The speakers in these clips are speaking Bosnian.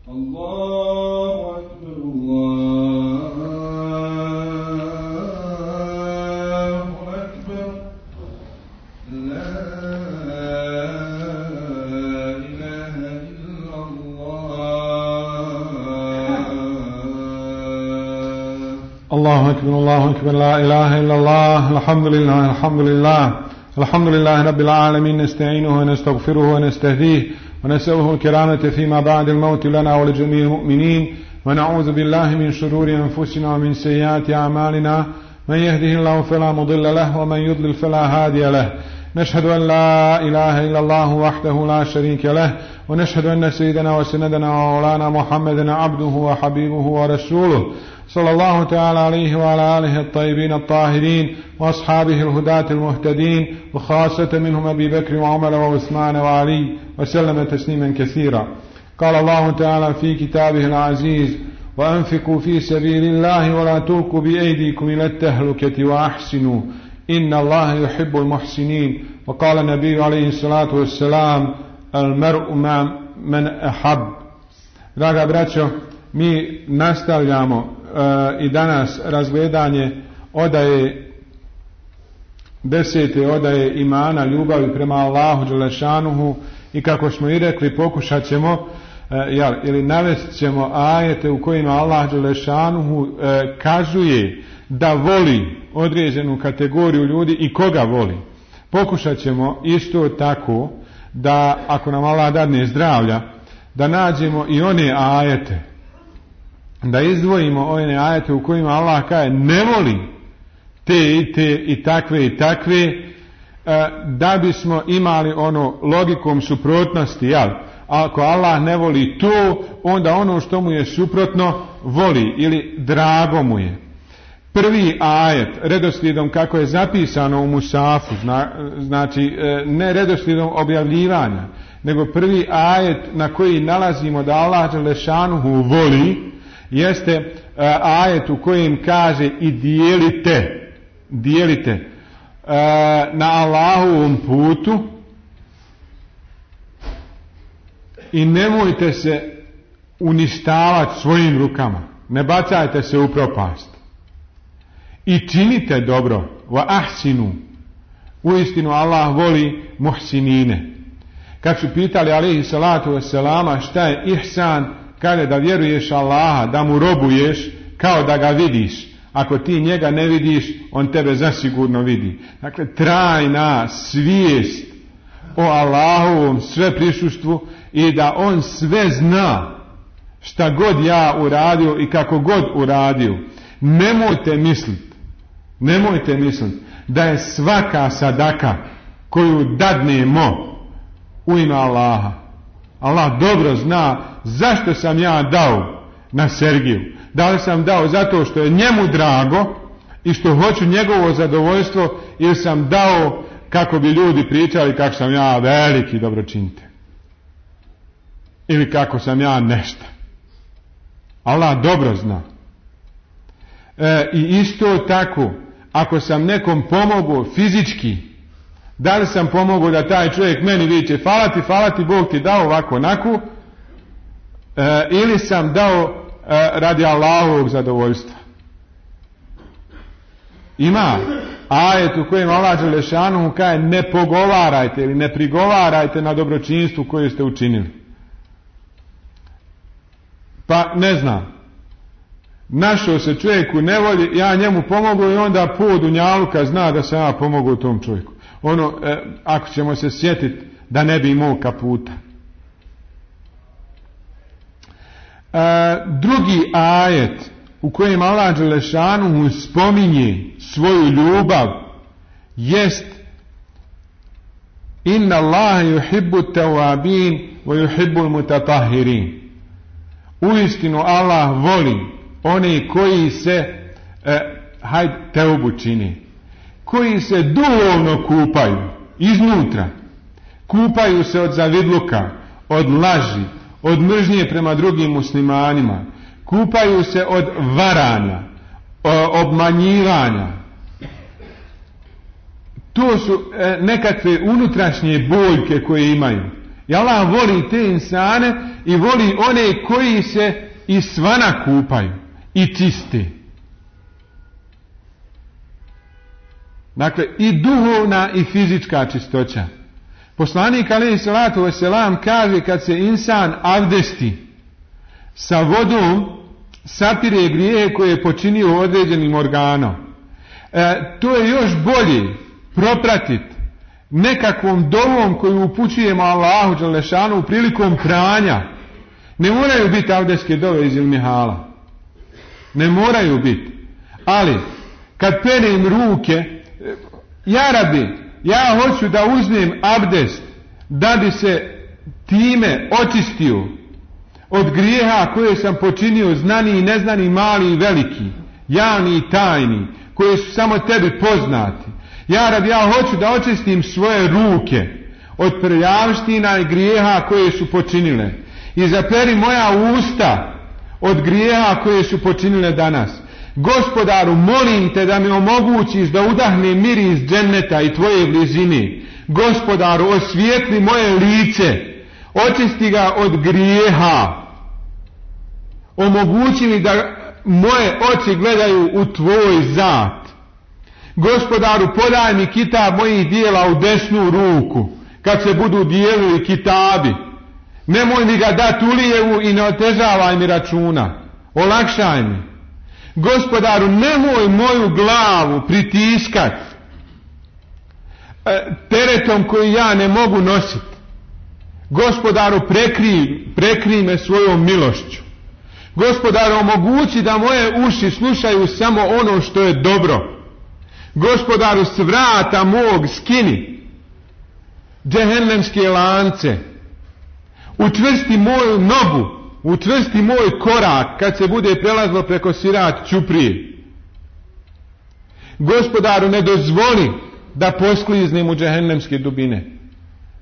الله أكبر الله أكبر لا إله إلا الله الحمد لله الحمد لله الحمد لله رب العالمين نستعينه ونستغفره ونستهديه ونسأله الكرامة فيما بعد الموت لنا ولجميع المؤمنين ونعوذ بالله من شرور أنفسنا ومن سيئات أعمالنا من يهده الله فلا مضل له ومن يضلل فلا هادي له نشهد أن لا إله إلا الله وحده لا شريك له ونشهد أن سيدنا وسندنا ومولانا محمدا عبده وحبيبه ورسوله صلى الله تعالى عليه وعلى آله الطيبين الطاهرين وأصحابه الهداة المهتدين وخاصة منهم أبي بكر وعمر وعثمان وعلي وسلم تسليما كثيرا. قال الله تعالى في كتابه العزيز وأنفقوا في سبيل الله ولا تلقوا بأيديكم إلى التهلكة وأحسنوا إن الله يحب المحسنين. وقال النبي عليه الصلاة والسلام المرء مع من أحب. Draga braćo, mi nastavljamo i danas razgledanje odaje 10. odaje imana, ljubavi prema Allahu dželešanuhu, i kako smo i rekli pokušat ćemo ili navest ćemo ajete u kojima Allah dželešanuhu kazuje da voli određenu kategoriju ljudi i koga voli. Pokušat ćemo isto tako da ako nam Allah dadne zdravlja da nađemo i one ajete, da izdvojimo one ajete u kojima Allah kaže ne voli te i takve, da bismo imali ono logikom suprotnosti, jel? Ako Allah ne voli to, onda ono što mu je suprotno voli ili drago mu je. Prvi ajet, redoslijedom kako je zapisano u Musafu, znači ne redoslijedom objavljivanja, nego prvi ajet na koji nalazimo da Allah dželešanuhu voli, jeste ajet u kojem kaže i dijelite na Allahovom putu i nemojte se uništavati svojim rukama, ne bacajte se u propast i činite dobro, wa ahsinu, uistinu Allah voli muhsinine. Kad su pitali alejhi salatu vesselama šta je ihsan, kaže da vjeruješ Allaha, da mu robuješ kao da ga vidiš. Ako ti njega ne vidiš, on tebe zasigurno vidi. Dakle, trajna svijest o Allahovom sveprisustvu i da on sve zna šta god ja uradio i kako god uradio. Nemojte misliti da je svaka sadaka koju dadnemo u ime Allaha. Allah dobro zna zašto sam ja dao na Sergiju. Da li sam dao zato što je njemu drago i što hoću njegovo zadovoljstvo, ili sam dao kako bi ljudi pričali kako sam ja veliki dobročinitelj ili kako sam ja nešto. Allah dobro zna. I isto tako, ako sam nekom pomogao fizički, da li sam pomogao da taj čovjek meni viče hvala ti, Bog ti dao ovako onako, ili sam dao radi Allahovog zadovoljstva. Ima ajet u kojem Allah dželešanuhu kaže ne pogovarajte ili ne prigovarajte na dobročinstvu koje ste učinili. Pa ne znam, našao se čovjek u nevolji, ja njemu pomogao i onda po dunjaluka zna da sam ja pomogao tom čovjeku. Ako ćemo se sjetiti da ne bi imao kaputa. Drugi ajet u kojem Allah dželešanuhu spominje svoju ljubav jest inna Allaha yuhibbu tawabin wa yuhibbu al-mutatahhirin. Uistinu Allah voli one koji se teubu čini, koji se duhovno kupaju iznutra, kupaju se od zavidluka, od laži, od mržnje prema drugim muslimanima, kupaju se od varanja, obmanjivanja. To su nekakve unutrašnje boljke koje imaju. I Allah voli te insane i voli one koji se i svana kupaju i čiste. Dakle, i duhovna i fizička čistoća. Poslanik alejhi salatu vesselam kaže kad se insan abdesti sa vodom sapire grijehe koje je počinio određenim organom. To je još bolje propratiti nekakvom dovom koju upućujemo Allahu dželešanu prilikom pranja. Ne moraju biti abdestske dove iz ilmihala. Ne moraju biti. Ali kad perem ruke, ja Rabbi, ja hoću da uzmem abdest da bi se time očistio od grijeha koje sam počinio, znani i neznani, mali i veliki, javni i tajni, koje su samo tebi poznati. Ja Rabbi, ja hoću da očistim svoje ruke od prljavština i grijeha koje su počinile. I zaperi moja usta od grijeha koje su počinile danas. Gospodaru, molim te da mi omogućiš da udahne miris dženneta i tvoje blizine. Gospodaru, osvijetli moje lice, očisti ga od grijeha. Omogući mi da moje oči gledaju u tvoj zat. Gospodaru, podaj mi kitab mojih dijela u desnu ruku, kad se budu dijelili kitabi. Nemoj mi ga dati u lijevu i ne otežavaj mi računa. Olakšaj mi. Gospodaru, nemoj moju glavu pritiskat teretom koji ja ne mogu nositi. Gospodaru, prekri me svojom milošću. Gospodaru, omogući da moje uši slušaju samo ono što je dobro. Gospodaru, s vrata mog skini džehennemske lance. Učvrsti moju nogu, učvrsti moj korak kad se bude prelazlo preko sirat ćuprije. Gospodaru, ne dozvoli da poskliznem u džehennemske dubine.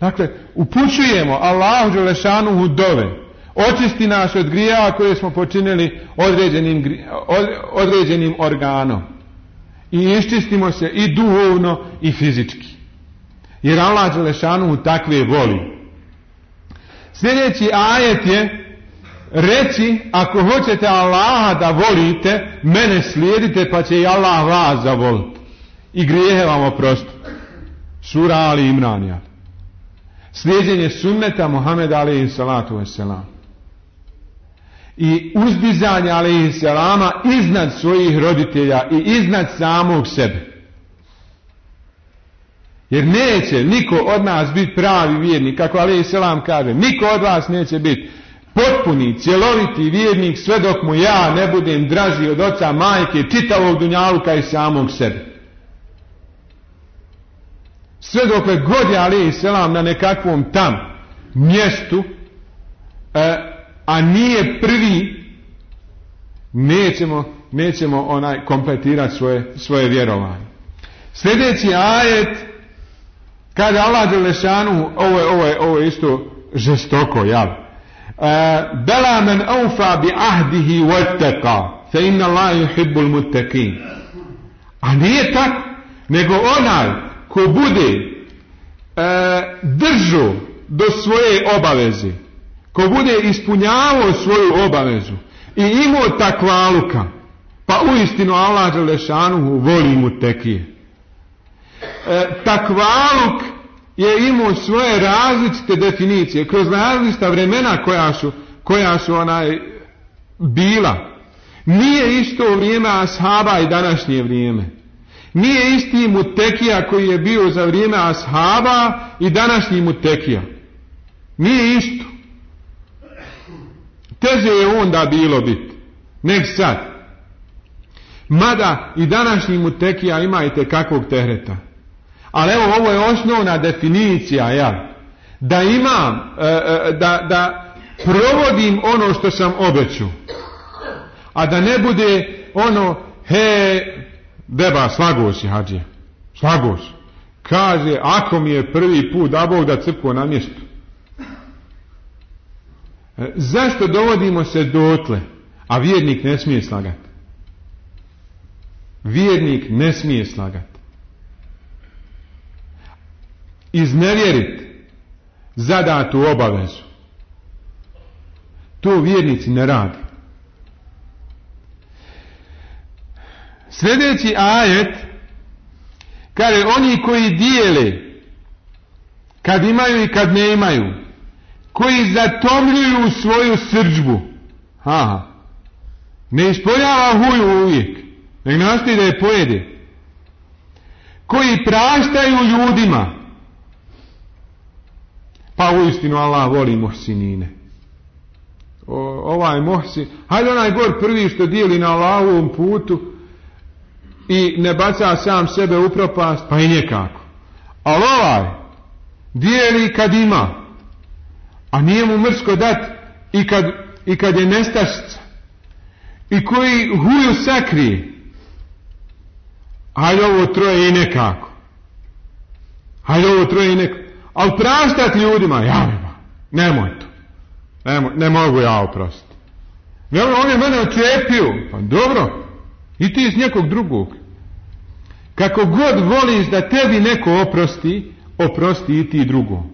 Dakle, upućujemo Allahu dželešanuhu dove. Očisti nas od grijeha koje smo počinili određenim organom. I iščistimo se i duhovno i fizički. Jer Allah dželešanuhu takve voli. Sljedeći ajet je reći, ako hoćete Allaha da volite, mene slijedite pa će i Allah vas zavoliti. I grijehe vam oprostiti. Sura Ali Imran. Slijeđenje sunneta Muhameda alejhi salatu vesselam. I uzdizanje alejhi selama iznad svojih roditelja i iznad samog sebe. Jer neće niko od nas biti pravi vjernik, kako alejhi selam kaže, niko od vas neće biti potpuni, cjeloviti vjernik sve dok mu ja ne budem draži od oca, majke, čitavog dunjaluka i samog sebe. Sve dokle god je alejhi selam na nekakvom tam mjestu, a nije prvi, nećemo kompletirati svoje vjerovanje. Sljedeći ajet, kada Allah dželešanu, ovo je isto žestoko, jel? Bela men aufa bi ahdihi wattaqa fa inna Allaha yuhibbul muttaqin. A nije tako, nego onaj ko bude držao do svoje obaveze, ko bude ispunjavao svoju obavezu i imao takvaluka, pa uistinu Allah dželešanuhu voli mutekije. Takvaluk je imao svoje različite definicije kroz različita vremena koja su bila. Nije isto vrijeme ashaba i današnje vrijeme. Nije isti mutekija koji je bio za vrijeme ashaba i današnji mutekija. Nije isto. Teže je onda bilo biti nek sad. Mada i današnji mutekija ima i tekakvog tehreta. Ali evo, ovo je osnovna definicija, ja, da imam, da provodim ono što sam obećao. A da ne bude ono, beba, slago si, hađija, slago si. Kaže, ako mi je prvi put, da Bog da crkvo na mjestu. Zašto dovodimo se dotle, a vjernik ne smije slagati? Vjernik ne smije slagati. Iznevjeriti zadatu obavezu. To vjernici ne radi. Sljedeći ajet kaže oni koji dijele kad imaju i kad ne imaju, koji zatomljuju svoju srdžbu, ne ispoljava huju uvijek, nek nastoji da je pojede, koji praštaju ljudima, pa uistinu Allah voli muhsinine. Ovaj muhsin, hajde onaj gor prvi što dijeli na Allahovom putu i ne baca sam sebe u propast, pa i nekako. Ali ovaj dijeli kad ima, a nije mu mrsko dat i kad je nestašica, i koji huju sakrije, hajde ovo troje i nekako, ali praštati ljudima, nemoj to, ne mogu ja oprostiti. On je mene očepio, pa dobro, i ti iz nekog drugog. Kako god voliš da tebi neko oprosti i ti drugom.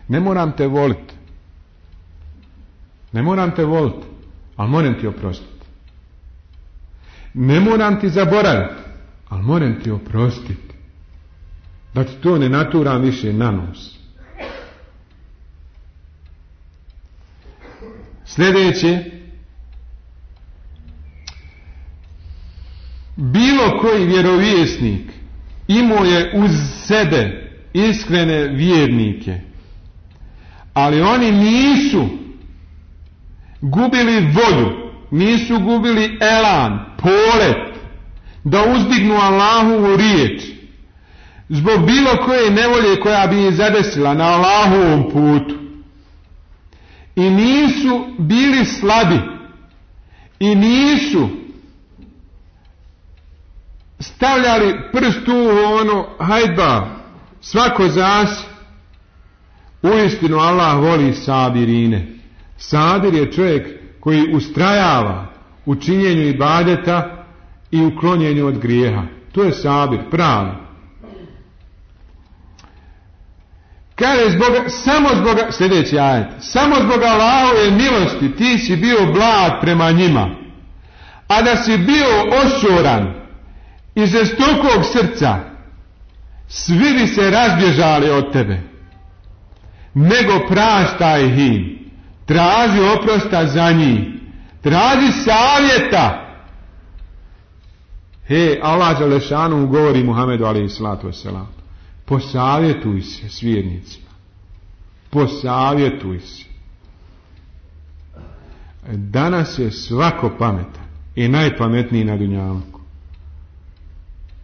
Ne moram te voliti, ali moram ti oprostiti. Ne moram ti zaboraviti, ali moram ti oprostiti. Da ti to ne naturam više na nos. Sljedeće, bilo koji vjerovjesnik imao je uz sebe iskrene vjernike, ali oni nisu gubili volju, nisu gubili elan, polet da uzdignu Allahovu riječ zbog bilo koje nevolje koja bi ih zadesila na Allahovom putu, i nisu bili slabi i nisu stavljali prst u ono, hajdba, svako zas. Uistinu Allah voli sabirine. Sabir je čovjek koji ustrajava u činjenju ibadeta i u klonjenju od grijeha. To je sabir, pravi. Kaže sljedeći ajet, samo zbog Allahove milosti ti si bio blag prema njima, a da si bio ošoran i žestokog srca, svi bi se razbježali od tebe. Nego praštaj im, traži oprosta za njih, traži savjeta. Allah dželešanu govori Muhammedu alejhi salatu vesselam, posavjetuj se s vjernicima, posavjetuj se. Danas je svako pametan i najpametniji na dunjalku.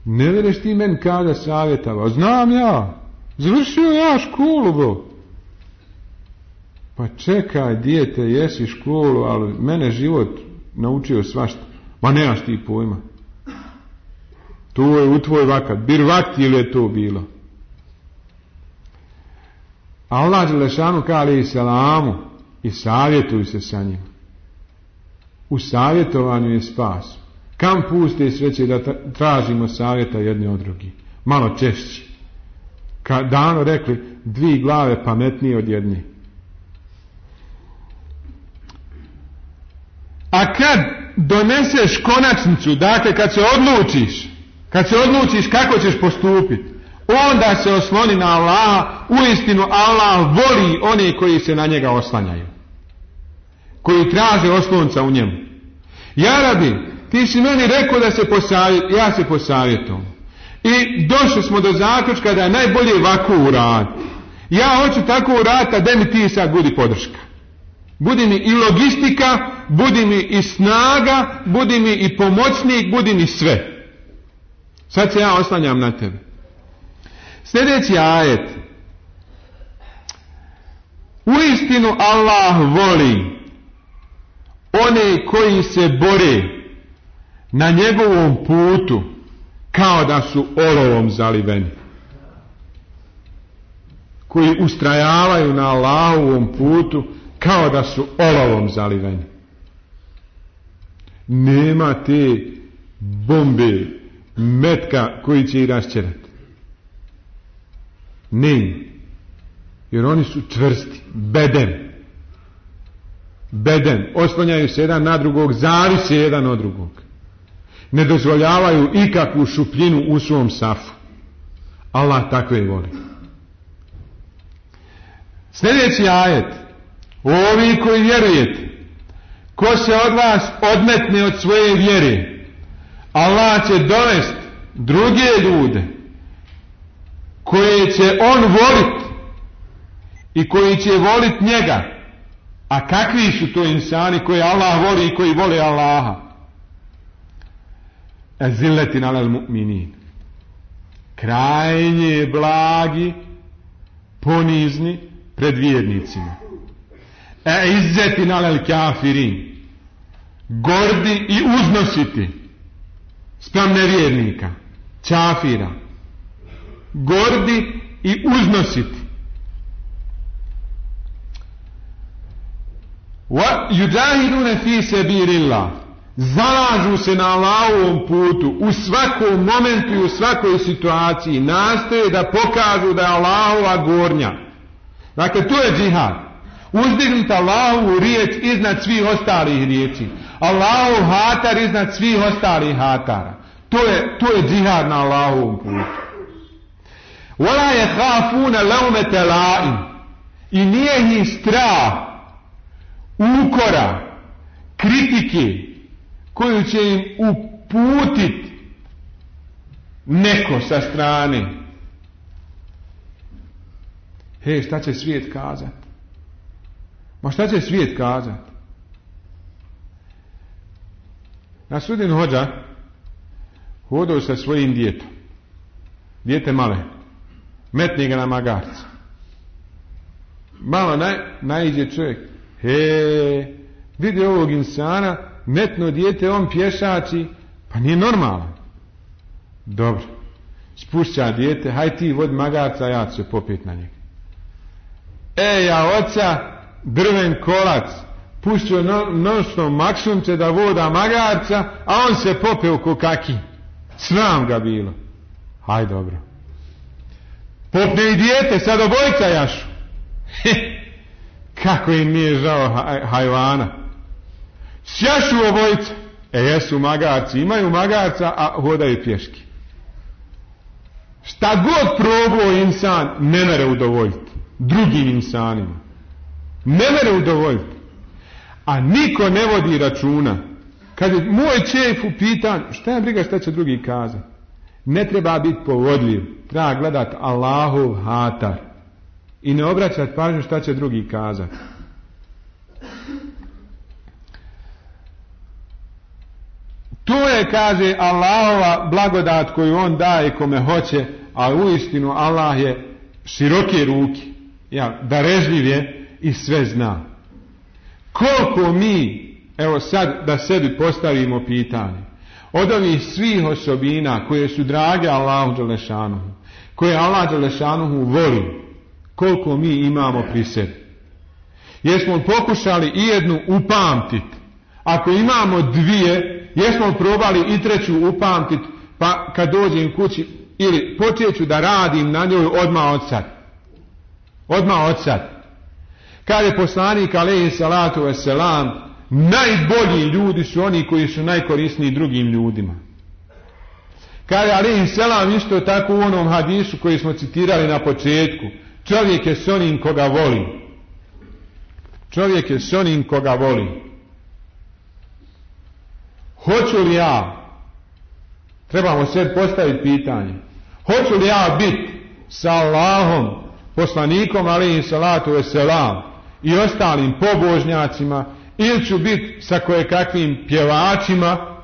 Ne vereš ti meni kada savjetava, znam ja, završio ja školu, bro. Pa čekaj, dijete, jesi školu, ali mene život naučio svašta. Ma nemaš ti pojma. To je u tvoj vakat. Bir vakti ili je to bilo? Allah dželešanu kaže i selamu i savjetuj se sa njim. U savjetovanju je spas. Kam puste sreće da tražimo savjeta jedni od drugih? Malo češće. Kad davno rekli, 2 glave pametnije od jedne. A kad doneseš konačnicu, dakle kad se odlučiš kako ćeš postupiti, onda se osloni na Allaha. Uistinu Allah voli one koji se na njega oslanjaju, koji traže oslonca u njemu. Ja rabi, ti si meni rekao da se posavjetujem, ja se posavjetujem. I došli smo do zaključka da je najbolje ovako uraditi. Ja hoću tako uraditi, a da mi ti sad budi podrška. Budi mi i logistika, budi mi i snaga, budi mi i pomoćnik, budi mi sve. Sad se ja oslanjam na tebe. Sljedeći ajet. Uistinu Allah voli one koji se bore na njegovom putu kao da su olovom zaliveni. Koji ustrajavaju na Allahovom putu kao da su olovom zaliveni. Nema te bombe, metka koji će ih raščerati. Nema. Jer oni su čvrsti, beden. beden, oslanjaju se jedan na drugog, zavise jedan od drugog. Ne dozvoljavaju ikakvu šupljinu u svom safu. Allah takve voli. Sljedeći ajet. Ovi koji vjerujete, ko se od vas odmetne od svoje vjere, Allah će dovesti druge ljude koje će on voliti i koji će voliti njega. A kakvi su to insani koji Allah voli i koji vole Allaha? Azillatin alal mu'minin. Krajnje blagi, ponizni pred vjernicima. Izzetin alal kafirin. Gordi i uznositi spram nevjernika, kafira. Gordi i uznositi. Wa yujahiduna fi sabilillah. Zalažu se na Allahovom putu u svakom momentu i u svakoj situaciji. Nastoje da pokažu da je Allahova gornja. Dakle, to je džihad. Uzdignuti Allahovu riječ iznad svih ostalih riječi. Allahov hatar iznad svih ostalih hatara. To je džihad na Allahovom putu. Wala yakhafuna lawmata la'im. I nije ih strah ukora, kritike koju će im uputiti neko sa strane. Šta će svijet kazati? Ma šta će svijet kazati? Nasudin hođa hodao sa svojim djetom. Dijete male. Metni ga na magarca. Malo naiđe čovjek. Vidi ovog insana, metno dijete, on pješači, pa nije normalan. Dobro. Spušća dijete, haj ti vod magarca, ja ću se popet na njega. Ja oca, drven kolac, pušću noćno maksunce da voda magarca, a on se popeo ko kaki. Sram ga bilo. Haj dobro. Popne i dijete, sad obojca jašu. Kako im nije žao hajvana. Sjašu obojca. Jesu magarci, imaju magarca, a hodaju pješki. Šta god probao insan, ne mere udovoljiti drugim insanima. Ne mere udovoljiti. A niko ne vodi računa. Kad je moj čef upitan, šta je briga šta će drugi kazati? Ne treba biti povodljiv. Treba gledati Allahov hatar. I ne obraćati pažnju šta će drugi kazati. To je, kaže, Allahova blagodat koju on daje kome hoće, a uistinu Allah je široke ruke, darežljiv je i sve zna. Koliko mi, evo sad da sebi postavimo pitanje, od ovih svih osobina koje su drage Allahu dželešanuhu, koje Allah dželešanuhu voli, koliko mi imamo pri sebi. Jesmo pokušali i jednu upamtiti? Ako imamo dvije, jesmo probali i treću upamtiti, pa kad dođem kući ili počeću da radim na njoj odmah od sad. Kad je poslanik alejhi salatu vesselam, najbolji ljudi su oni koji su najkorisniji drugim ljudima. Kad je alejhi selam isto tako u onom hadisu koji smo citirali na početku, čovjek je s onim koga voli. Čovjek je s onim koga voli. Hoću li ja, trebamo sve postaviti pitanje, hoću li ja biti sa Allahom, poslanikom alejhi salatu vesselam i ostalim pobožnjacima, ili ću biti sa kojekakvim pjevačima,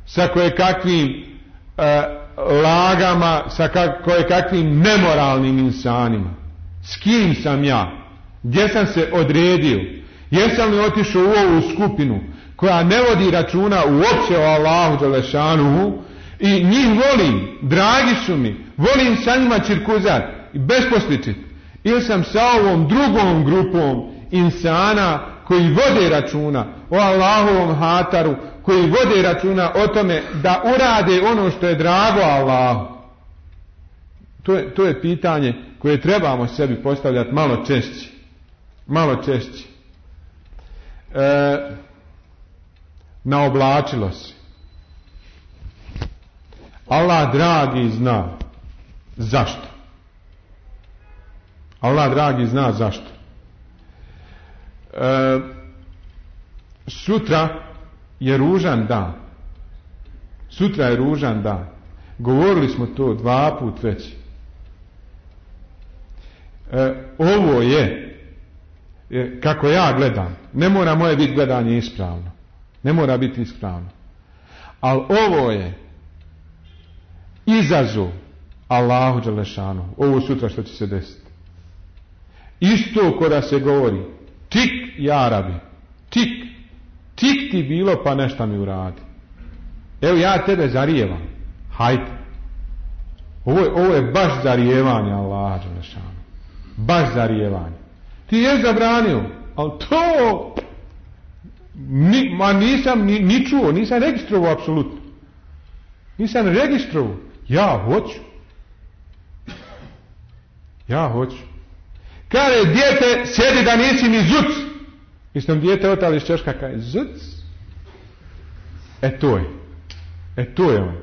sa kojekakvim lagama, sa kojekakvim nemoralnim insanima? S kim sam ja? Gdje sam se odredio? Jesam li otišao u ovu skupinu koja ne vodi računa uopće o Allahu dželešanuhu i njih volim, dragi su mi, volim sa njima cirkuzat i besposličit, ili sam sa ovom drugom grupom insana koji vode računa o Allahovom hataru, koji vode računa o tome da urade ono što je drago Allahu. To je pitanje koje trebamo sebi postavljati malo češće. naoblačilo se. Allah dragi zna zašto. Allah dragi zna zašto. Sutra je ružan dan. Sutra je ružan dan. Govorili smo to 2 put već. Ovo je, kako ja gledam, ne mora moje biti gledanje ispravno. Ne mora biti ispravno. Ali ovo je izazov Allahu dželešanu. Ovo sutra što će se desiti. Isto kada se govori tik ja rabi, tik ti bilo pa nešto mi uradi. Evo ja tebe zarijevam. Hajde. Ovo je baš zarijevanje Allaha dželešanu. Baš zarijevanje. Ti je zabranio, ali to nisam ni čuo, nisam registrovao apsolutno. Nisam registrovao. Ja hoću. Kaže, dijete, sjedi da nisi ni zuc. Mislim, dijete otali iz češka, kaže, zuc. To je on.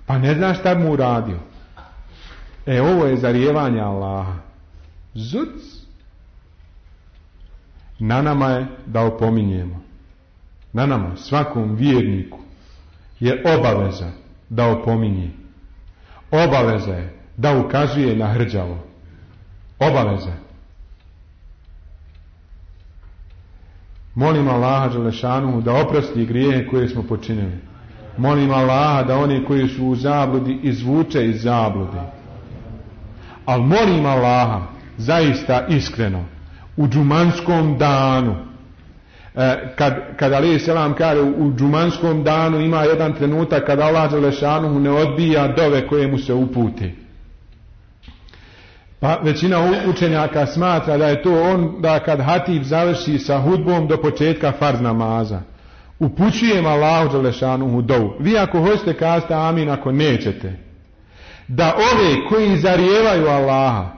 Pa ne znaš šta mu uradio. Ovo je zarijevanje Allaha. Zuc. Na nama je da opominjemo. Na nama, svakom vjerniku je obaveza da opominje. Obaveza je da ukazuje na hrđavo. Obaveza. Molim Allaha dželešanu da oprosti grijehe koje smo počinili. Molim Allaha da oni koji su u zabludi izvuče iz zablude. Ali molim Allaha zaista iskreno u džumanskom danu, kad alejhi selam kaže u džumanskom danu ima jedan trenutak kada Allah dželešanu ne odbija dove koje mu se upute. Pa većina učenjaka smatra da je to onda kad hatib završi sa hudbom do početka farz namaza. Upućujem Allahu dželešanu dovu. Vi ako hoćete kazati amin, ako nećete. Da ove koji zarijevaju Allaha,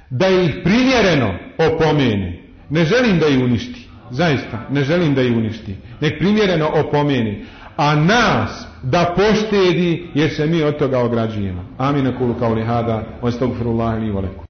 da ih primjereno opomeni. Ne želim da ih uništi. Zaista, ne želim da ih uništi. Nek primjereno opomeni. A nas da poštedi jer se mi od toga ograđujemo. Amin, aqulu qawli hada, wa astaghfirullaha li wa lakum.